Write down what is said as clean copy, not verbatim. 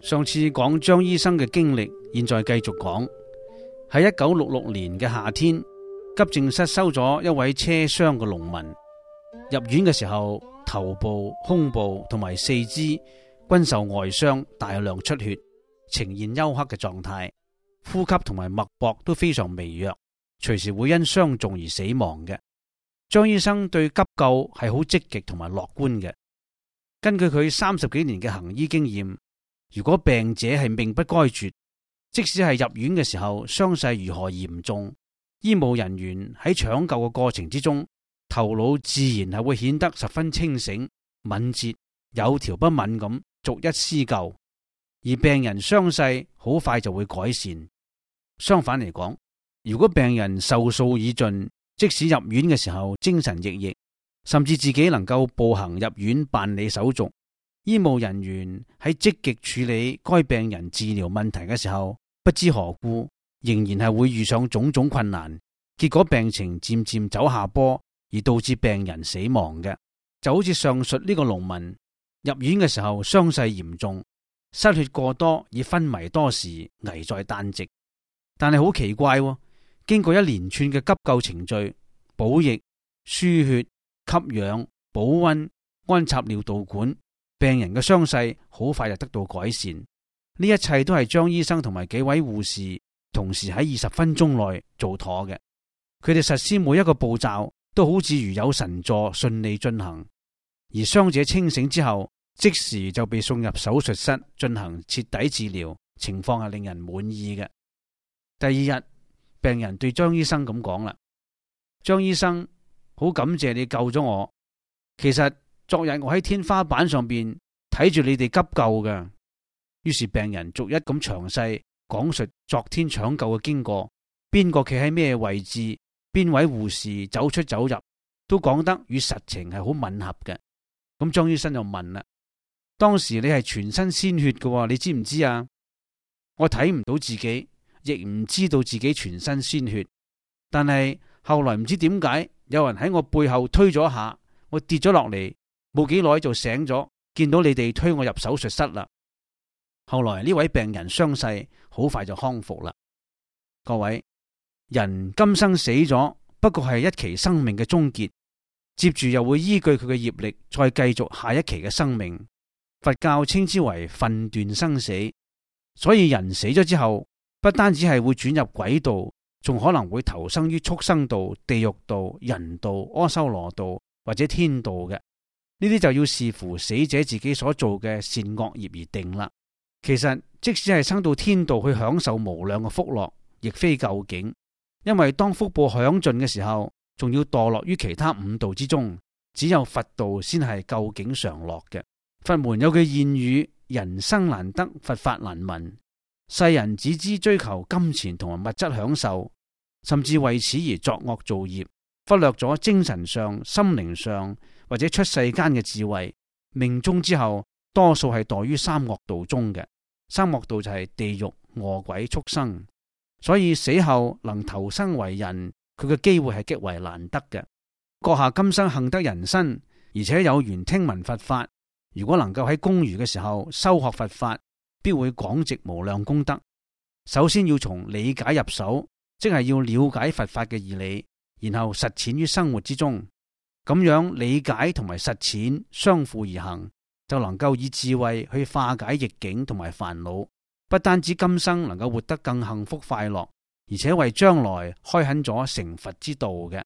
上次講張醫生嘅經歷，現在繼續講。喺1966年嘅夏天，急症室收咗一位車傷嘅農民。入院嘅時候，頭部、胸部同埋四肢均受外傷，大量出血，呈現休克嘅狀態，呼吸同埋脈搏都非常微弱，隨時會因傷重而死亡嘅。張醫生對急救係好積極同埋樂觀嘅。根據佢30幾年嘅行醫經驗，如果病者係命不該絕，即使係入院嘅時候傷勢如何嚴重，醫務人員喺搶救嘅過程之中，頭腦自然係會顯得十分清醒、敏捷，有條不紊咁逐一施救，而病人傷勢好快就會改善。相反嚟講，如果病人壽數已盡，即使入院嘅時候精神奕奕，甚至自己能夠步行入院辦理手續，醫務人員喺積極處理該病人治療問題嘅時候，不知何故仍然係會遇上種種困難，結果病情漸漸走下坡，而導致病人死亡嘅。就好似上述呢個農民入院嘅時候傷勢嚴重，失血過多，已昏迷多時，危在旦夕。但係好奇怪喎，經過一連串嘅急救程序，補液、輸血、吸氧、保溫、安插尿導管，病人嘅傷勢好快就得到改善。呢一切都係張醫生同埋幾位護士同時喺20分鐘內做妥嘅。佢哋實施每一個步驟都好似如有神助，順利進行。而傷者清醒之後，即時就被送入手術室進行徹底治療，情況係令人滿意嘅。第二日，病人對張醫生咁講啦：張醫生，好感謝你救咗我。其實昨日我喺天花板上邊睇住你哋急救嘅。於是病人逐一咁詳細講述昨天搶救嘅經過，邊個企喺咩位置，邊位護士走出走入，都講得與實情係好吻合嘅。咁張醫生就問啦：當時你係全身鮮血嘅，你知唔知啊？我睇唔到自己，亦唔知道自己全身鮮血，但係後來唔知點解，有人喺我背後推咗一下，我跌咗落嚟，冇幾耐就醒咗，見到你哋推我入手術室啦。後來呢位病人傷勢好快就康復啦。各位，人今生死咗，不過係一期生命嘅終結，接住又會依據佢嘅業力再繼續下一期嘅生命。佛教稱之為分段生死，所以人死咗之後，不單止係會轉入鬼道，仲可能會投生於畜生道、地獄道、人道、阿修羅道或者天道嘅。呢啲就要視乎死者自己所做嘅善惡業而定啦。其實即使係生到天道去享受無量嘅福樂，亦非究竟，因為當福報享盡嘅時候，仲要墮落於其他5道之中，只有佛道先係究竟常樂嘅。佛門有句諺語：人生難得，佛法難聞。世人只知追求金錢同埋物質享受，甚至為此而作惡造業，忽略咗精神上、心靈上或者出世間嘅智慧。命終之後，多數係墮於三惡道中嘅。三惡道就係地獄、餓鬼、畜生，所以死後能投生為人，佢嘅機會係極為難得嘅。閣下今生幸得人身，而且有緣聽聞佛法，如果能夠喺公餘嘅時候修學佛法，必會廣植無量功德。首先要從理解入手，即係要了解佛法嘅義理，然後實踐於生活之中。咁樣理解同埋實踐相輔而行，就能夠以智慧去化解逆境同埋煩惱，不單止今生能夠活得更幸福快樂，而且為將來開墾咗成佛之道嘅。